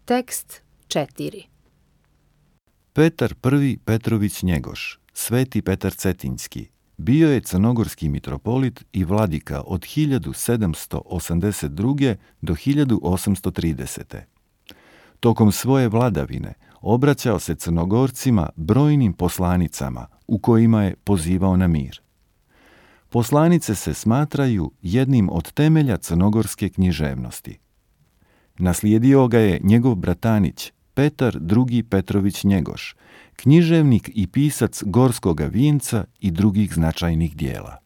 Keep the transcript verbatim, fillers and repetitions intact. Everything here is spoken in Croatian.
Tekst četiri. Petar I. Petrović Njegoš, Sveti Petar Cetinjski, bio je crnogorski mitropolit i vladika od hiljadu sedamsto osamdeset druge. do hiljadu osamsto tridesete. Tokom svoje vladavine obraćao se Crnogorcima brojnim poslanicama u kojima je pozivao na mir. Poslanice se smatraju jednim od temelja crnogorske književnosti. Naslijedio ga je njegov bratanić Petar I. Petrović Njegoš, književnik i pisac Gorskoga vinca i drugih značajnih dijela.